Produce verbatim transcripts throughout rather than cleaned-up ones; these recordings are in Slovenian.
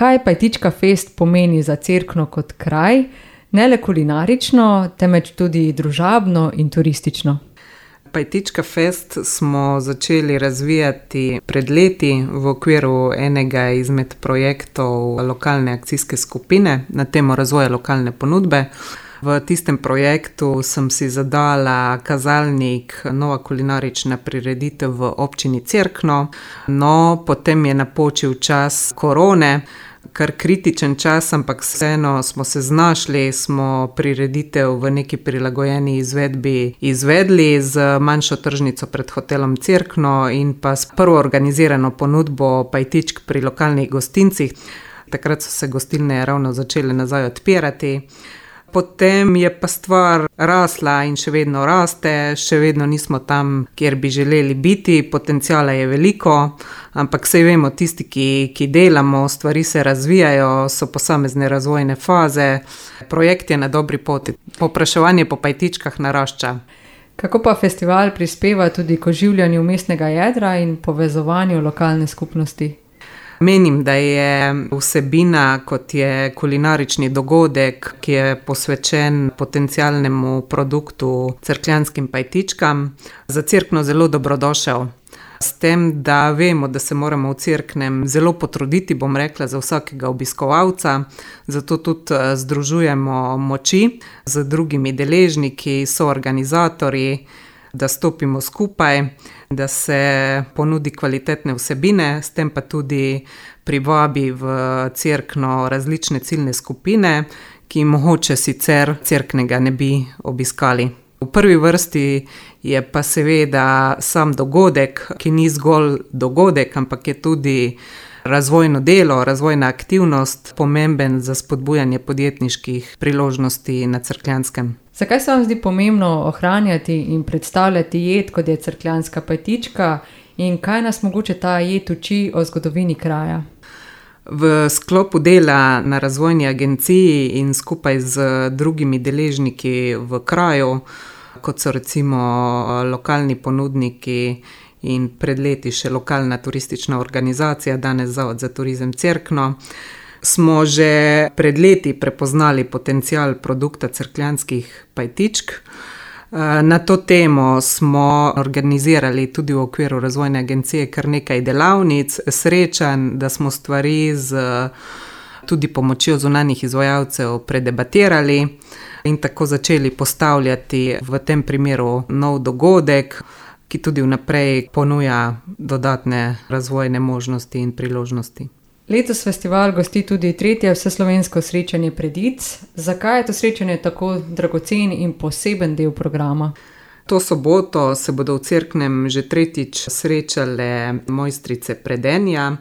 kaj Pajtička fest pomeni za Cerkno kot kraj, ne le kulinarično, temveč tudi družabno in turistično. Pajtička fest smo začeli razvijati pred leti v okviru enega izmed projektov lokalne akcijske skupine na temo razvoja lokalne ponudbe. V tistem projektu sem si zadala kazalnik nova kulinarična prireditev v občini Cerkno, no potem je napočil čas korone, kar kritičen čas, ampak vseeno smo se znašli, smo prireditev v neki prilagojeni izvedbi izvedli z manjšo tržnico pred hotelom Cerkno in pa s prvo organizirano ponudbo pajtičk pri lokalnih gostincih. Takrat so se gostilne ravno začele nazaj odpirati. Potem je pa stvar rasla in še vedno raste, še vedno nismo tam, kjer bi želeli biti, potenciala je veliko, ampak saj vemo, tisti, ki, ki delamo, stvari se razvijajo, so posamezne razvojne faze, projekt je na dobri poti, povpraševanje po pajtičkah narašča. Kako pa festival prispeva tudi k oživljanju mestnega jedra in povezovanju lokalne skupnosti? Menim, da je vsebina, kot je kulinarični dogodek, ki je posvečen potencialnemu produktu cerkljanskim pajtičkam, za Cerkno zelo dobrodošel. S tem, da vemo, da se moramo v Cerknem zelo potruditi, bom rekla, za vsakega obiskovalca, zato tudi združujemo moči z drugimi deležniki, soorganizatorji, da stopimo skupaj, da se ponudi kvalitetne vsebine, s tem pa tudi privabi v Cerkno različne ciljne skupine, ki mogoče sicer Cerknega ne bi obiskali. V prvi vrsti je pa seveda sam dogodek, ki ni zgolj dogodek, ampak je tudi razvojno delo, razvojna aktivnost, pomemben za spodbujanje podjetniških priložnosti na Cerkljanskem. Zakaj se vam zdi pomembno ohranjati in predstavljati jed, kot je cerkljanska pajtička, in kaj nas mogoče ta jed uči o zgodovini kraja? V sklopu dela na razvojni agenciji in skupaj z drugimi deležniki v kraju, kot so recimo lokalni ponudniki in pred leti še lokalna turistična organizacija, danes Zavod za turizem Cerkno, smo že pred leti prepoznali potencial produkta cerkljanskih pajtičk. Na to temo smo organizirali tudi v okviru razvojne agencije kar nekaj delavnic, srečanj, da smo stvari z tudi pomočjo zunanjih izvajalcev predebatirali in tako začeli postavljati v tem primeru nov dogodek, ki tudi vnaprej ponuja dodatne razvojne možnosti in priložnosti. Letos festival gosti tudi tretje vseslovensko srečanje Predic. Zakaj je to srečanje tako dragocen in poseben del programa? To soboto se bodo v Cerknem že tretjič srečale mojstrice predenja.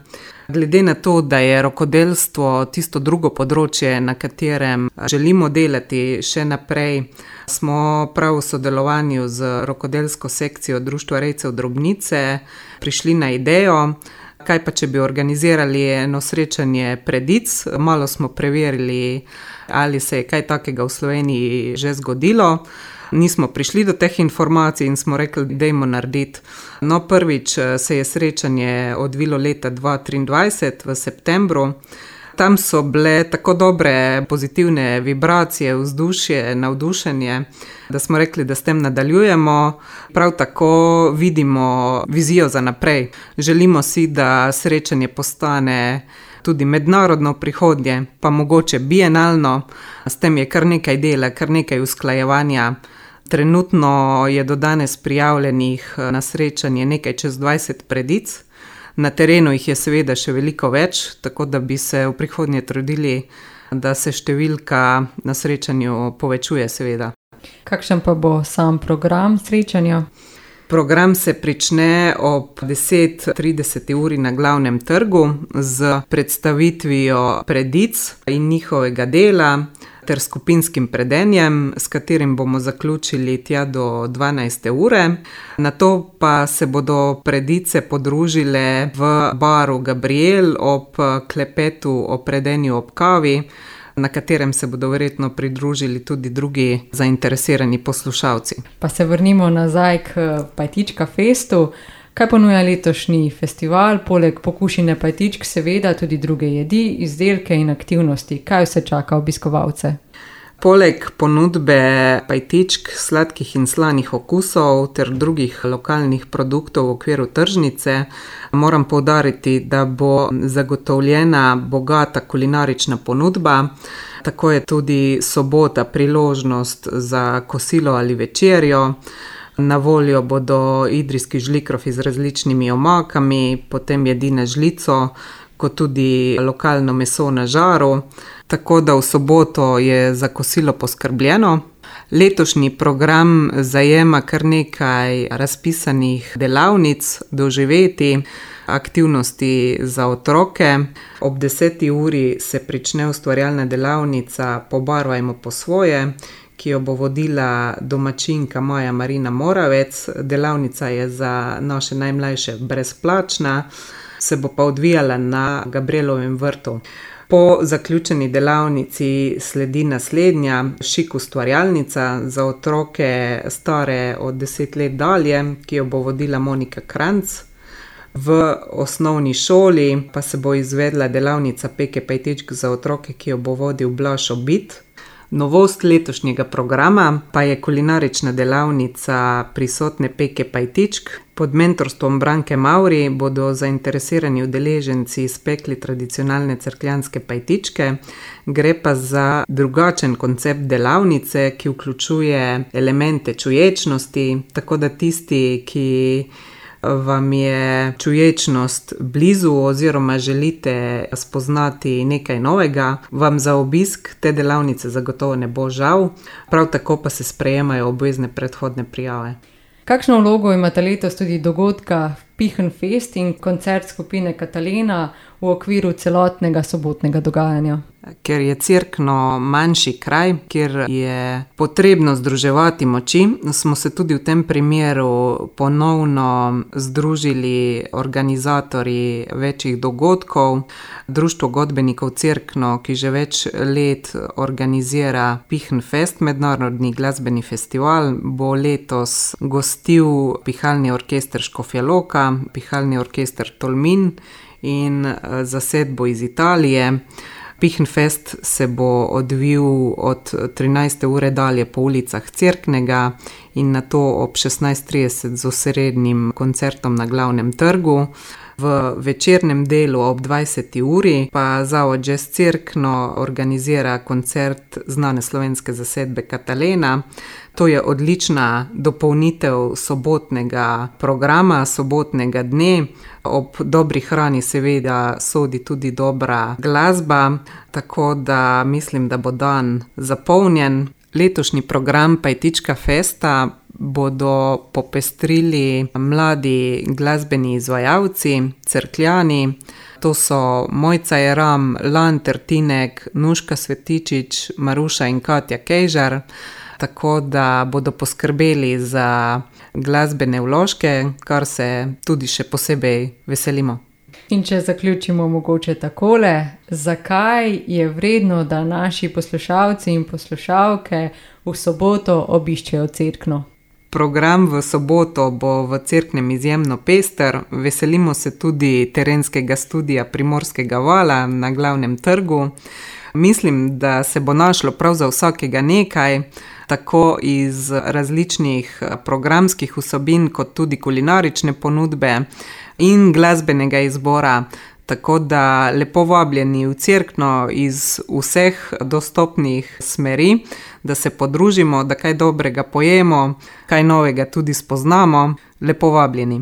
Glede na to, da je rokodelstvo tisto drugo področje, na katerem želimo delati še naprej, smo prav v sodelovanju z rokodelsko sekcijo Društva rejcev Drobnice prišli na idejo, kaj pa če bi organizirali eno srečanje Predic. Malo smo preverili, ali se je kaj takega v Sloveniji že zgodilo. Nismo prišli do teh informacij in smo rekli, dajmo narediti. No, prvič se je srečanje odvilo leta dva tisoč triindvajset v septembru. Tam so bile tako dobre pozitivne vibracije, vzdušje, navdušenje, da smo rekli, da s tem nadaljujemo. Prav tako vidimo vizijo za naprej. Želimo si, da srečanje postane tudi mednarodno prihodnje, pa mogoče bienalno. S tem je kar nekaj dela, kar nekaj usklajevanja. Trenutno je do danes prijavljenih na srečanje nekaj čez dvajset predic. Na terenu jih je seveda še veliko več, tako da bi se v prihodnje trudili, da se številka na srečanju povečuje seveda. Kakšen pa bo sam program srečanja? Program se prične ob deset trideset uri na glavnem trgu z predstavitvijo predic in njihovega dela ter skupinskim predenjem, s katerim bomo zaključili tja do dvanajste ure. Nato pa se bodo predice podružile v baru Gabriel ob klepetu o predenju ob kavi, na katerem se bodo verjetno pridružili tudi drugi zainteresirani poslušalci. Pa se vrnimo nazaj k Pajtička festu. Kaj ponuja letošnji festival? Poleg pokušine pajtičk seveda tudi druge jedi, izdelke in aktivnosti. Kaj vse čaka obiskovalce? Poleg ponudbe pajtičk, sladkih in slanih okusov ter drugih lokalnih produktov v okviru tržnice, moram poudariti, da bo zagotovljena bogata kulinarična ponudba. Tako je tudi sobota priložnost za kosilo ali večerjo. Na voljo bodo idrijski žlikrofi z različnimi omakami, potem jedi na žlico, kot tudi lokalno meso na žaru. Tako da v soboto je za kosilo poskrbljeno. Letošnji program zajema kar nekaj razpisanih delavnic, doživetij, aktivnosti za otroke. Ob deseti uri se prične ustvarjalna delavnica Pobarvajmo po svoje, ki jo bo vodila domačinka Maja Marina Moravec. Delavnica je za naše najmlajše brezplačna, se bo pa odvijala na Gabrielovem vrtu. Po zaključeni delavnici sledi naslednja, šik ustvarjalnica za otroke stare od deset let dalje, ki jo bo vodila Monika Kranc. V osnovni šoli pa se bo izvedla delavnica peke pajtičk za otroke, ki jo bo vodil Blaž Obid. Novost letošnjega programa pa je kulinarična delavnica Prisotne peke pajtičk. Pod mentorstvom Branke Mavri bodo zainteresirani udeleženci spekli tradicionalne cerkljanske pajtičke. Gre pa za drugačen koncept delavnice, ki vključuje elemente čuječnosti, tako da tisti, ki vam je čuječnost blizu oziroma želite spoznati nekaj novega, vam za obisk te delavnice zagotovo ne bo žal. Prav tako pa se sprejemajo obvezne predhodne prijave. Kakšno vlogo imata letos tudi dogodka Pihnfest in koncert skupine Katalena v okviru celotnega sobotnega dogajanja? Ker je Cerkno manjši kraj, kjer je potrebno združevati moči, smo se tudi v tem primeru ponovno združili organizatorji večjih dogodkov. Društvo godbenikov Cerkno, ki že več let organizira Pihnfest, mednarodni glasbeni festival, bo letos gostil pihalni orkester Škofja Loka, pihalni orkester Tolmin in zasedbo iz Italije. Pihnfest se bo odvil od trinajste ure dalje po ulicah Cerknega in nato ob šestnajst trideset z osrednjim koncertom na glavnem trgu. V večernem delu ob dvajseti uri pa Zavod Jazz Cerkno organizira koncert znane slovenske zasedbe Katalena. To je odlična dopolnitev sobotnega programa, sobotnega dne. Ob dobri hrani seveda sodi tudi dobra glasba, tako da mislim, da bo dan zapolnjen. Letošnji program Pajtička festa bodo popestrili mladi glasbeni izvajalci, cerkljani. To so Mojca Jeram, Lan Tertinek, Nuška Svetičič, Maruša in Katja Kejžar. Tako da bodo poskrbeli za glasbene vložke, kar se tudi še posebej veselimo. In če zaključimo mogoče takole, zakaj je vredno, da naši poslušalci in poslušalke v soboto obiščejo Cerkno? Program v soboto bo v Cerknem izjemno pester. Veselimo se tudi terenskega studia Primorskega vala na glavnem trgu. Mislim, da se bo našlo prav za vsakega nekaj, tako iz različnih programskih vsebin, kot tudi kulinarične ponudbe in glasbenega izbora. Tako da lepo vabljeni v Cerkno iz vseh dostopnih smeri, da se podružimo, da kaj dobrega pojemo, kaj novega tudi spoznamo. Lepo vabljeni.